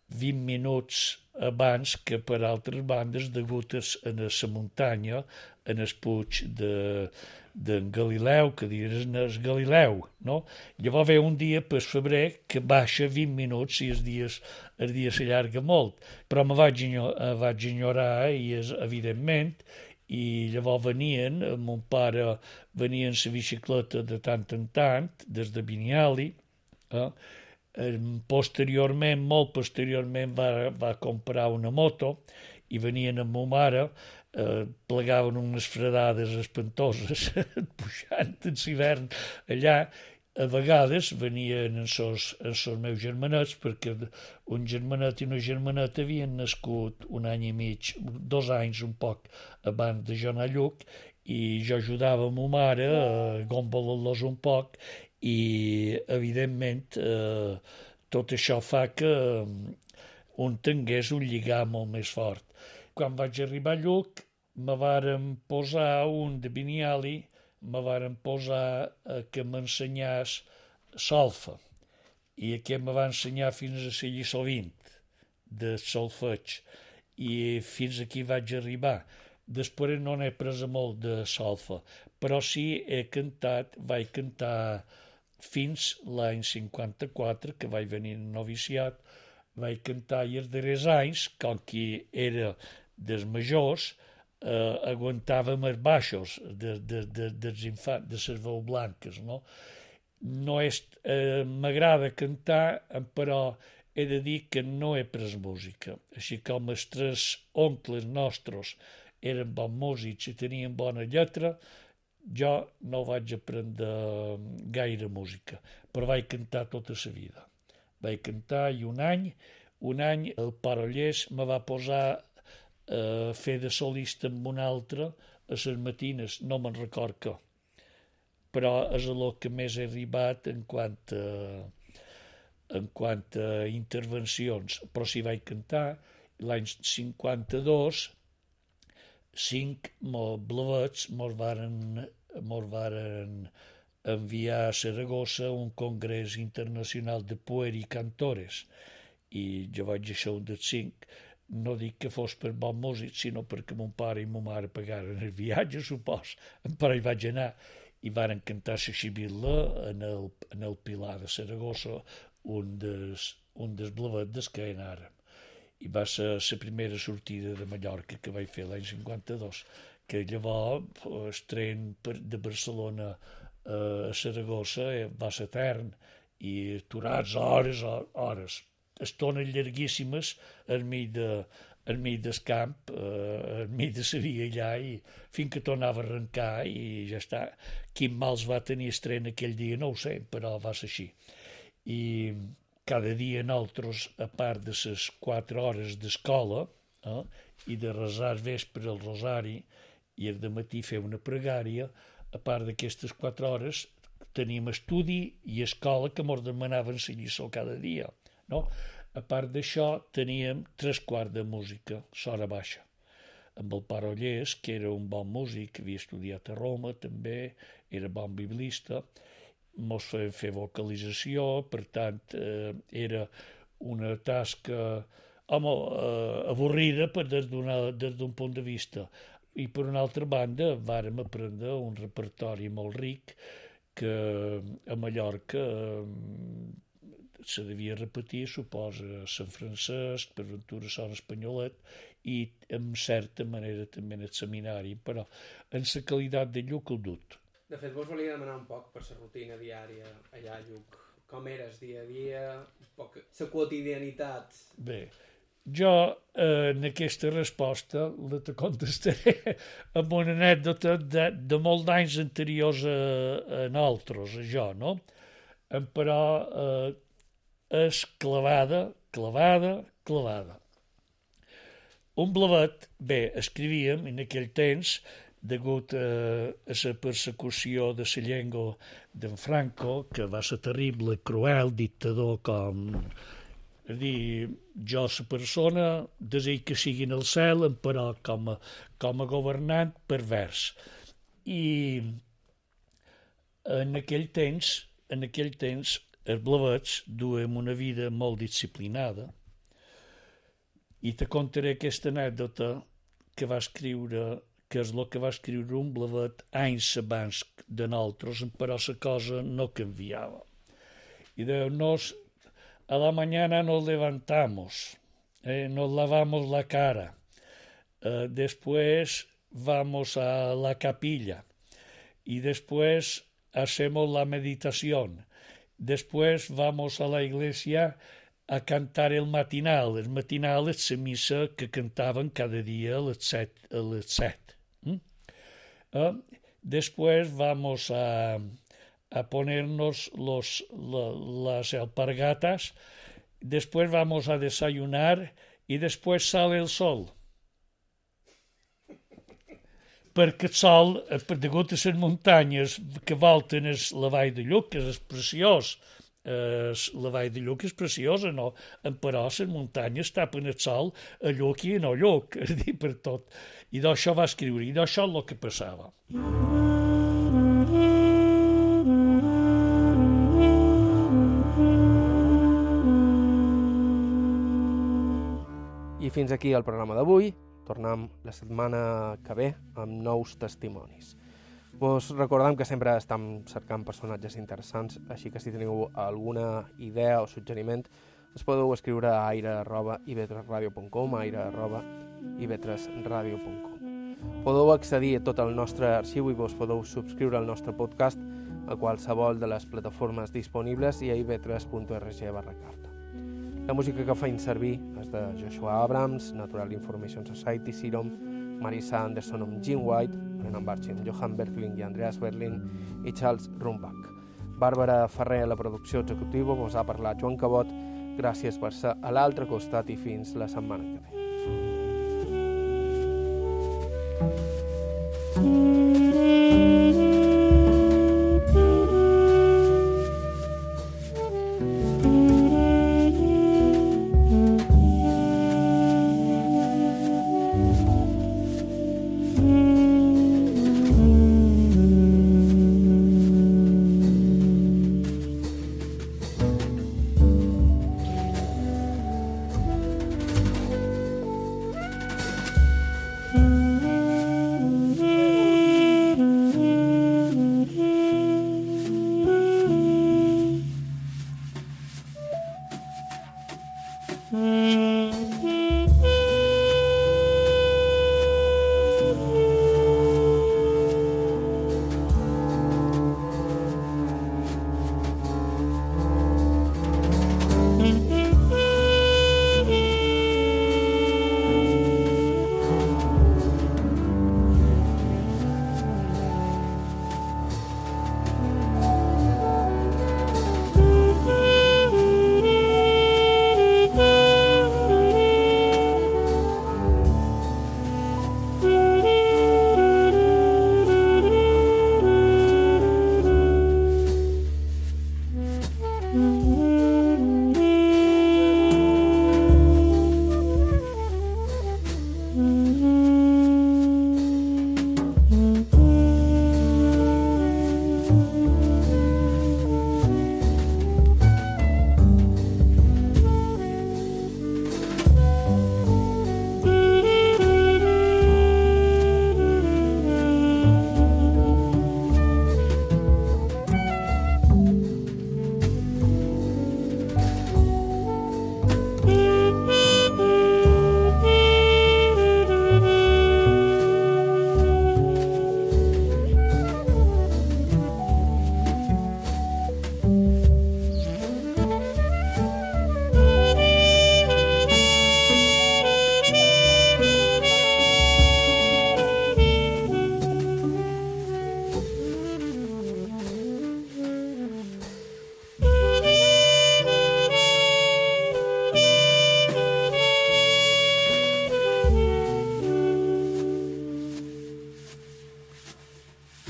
20 minuts abans que per altres bandes degut a la muntanya, en el puig d'en Galileu, que diuen el Galileu, no? Llavors ve un dia per febrer que baixa 20 minuts i el dia s'allarga molt, però me vaig ignorar, i evidentment, i llavors venien, mon pare venia en la bicicleta de tant en tant, des de Biniali, molt posteriorment va comprar una moto, i venien amb ma mare, plegaven unes fredades espantoses pujant en l'hivern allà. A vegades venien els meus germanets, perquè un germanet i una germaneta havien nascut 1 any i mig, 2 anys un poc abans de jo anar a Lluc, i jo ajudava ma mare a gombolar-los un poc, i evidentment tot això fa que un tingués un lligam molt més fort. Quan vaig arribar a Lluc, me varen posar un de Biniali, me varen posar que m'ensenyés solfa, i aquest me va ensenyar fins a la lliçó 20 de solfeig, i fins aquí vaig arribar. Després no n'he pres molt de solfa, però sí vaig cantar fins l'any 54, que vaig venir en noviciat, vaig cantar, i els darrers anys, com que era dels majors, aguantàvem els baixos dels infants, de les veus blanques, no? M'agrada cantar, però he de dir que no he pres música. Així com els 3 oncles nostres eren bons músics i tenien bona lletra, jo no vaig aprendre gaire música, però vaig cantar tota la vida. Vaig cantar, i un any el Parollers me va posar a fer de solista amb un altre a les matines, no me'n record què, però és el que més he arribat en quant a intervencions. Però si vaig cantar, l'any 52, 5 blavets mos varen enviar a Saragossa un congrés internacional de pueri cantores, i jo vaig ser un dels 5. No dic que fos per bon músic, sinó perquè mon pare i ma mare pagaren el viatge, supos, però hi vaig anar, i varen cantar la xibilla en el Pilar de Saragossa, un dels blavets que anàrem. I va ser la primera sortida de Mallorca que vaig fer l'any 52, que llavors el tren de Barcelona a Saragossa va ser etern, i aturats hores, estones llarguíssimes al mig del camp, al mig de la via allà, i fins que tornava a arrencar, i ja està. Quin mals va tenir el tren aquell dia no ho sé, però va ser així. I cada dia nosaltres, a part de les 4 hores d'escola, i de resar al vespre el rosari, i el dematí fer una pregària, a part d'aquestes 4 hores teníem estudi i escola que ens demanaven la lliçó cada dia, no? A part d'això teníem 3/4 de música, l'hora baixa, amb el Parollers, que era un bon músic, havia estudiat a Roma també, era bon biblista, mos feien fer vocalització, per tant era una tasca avorrida des d'un punt de vista. I per una altra banda vàrem aprendre un repertori molt ric que a Mallorca se devia repetir, suposa, Sant Francesc, per Ventura Sant Espanyolet, i en certa manera també en el seminari, però en la qualitat de Lluc el dut. De fet, vos volia demanar un poc per la rutina diària allà a Lluc. Com eres dia a dia, un poc la quotidianitat? Bé, jo en aquesta resposta te contestaré amb una anècdota de molts anys anteriors a nosaltres, a jo, no? Però és clavada. Un blavet, bé, escrivíem en aquell temps, degut a la persecució de la llengua d'en Franco, que va ser terrible, cruel, dictador com... És dir, jo, la persona, desig que sigui en el cel, però com a governant pervers. I en aquell temps, els blavets duem una vida molt disciplinada, i te contaré aquesta anècdota que va escriure, que és el que va escriure un blavet anys abans de nosaltres, però la cosa no canviava. Y a la mañana nos levantamos, nos lavamos la cara, después vamos a la capilla y después hacemos la meditación, después vamos a la iglesia a cantar el matinal. El matinal és la missa que cantaven cada dia a les 7. Después vamos a ponernos las alpargatas, después vamos a desayunar y después sale el sol. Perquè el sol, degut a les muntanyes que volten la vall de Lluc, que és preciós, la vall de Lluc és preciosa, no? Però les muntanyes tapen el sol a Lluc i a no Lluc, és dir, per tot. I d'això va escriure, i d'això és el que passava. I fins aquí el programa d'avui. Tornem la setmana que ve amb nous testimonis. Vos recordem que sempre estem cercant personatges interessants, així que si teniu alguna idea o suggeriment, es podeu escriure a aire@ivetresradio.com, aire@ivetresradio.com. Podeu accedir a tot el nostre arxiu i vos podeu subscriure al nostre podcast a qualsevol de les plataformes disponibles i a ivetres.org/carta. La música que feim servir és de Joshua Abrams, Natural Information Society, Serum, Marisa Anderson amb Jim White, Brennan Barchin, Johan Berkling i Andreas Berlin i Charles Rumbach. Bàrbara Ferrer a la producció executiva, vos ha parlat Joan Cabot. Gràcies per ser a l'altre costat i fins la setmana que ve.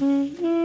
Mm-hmm.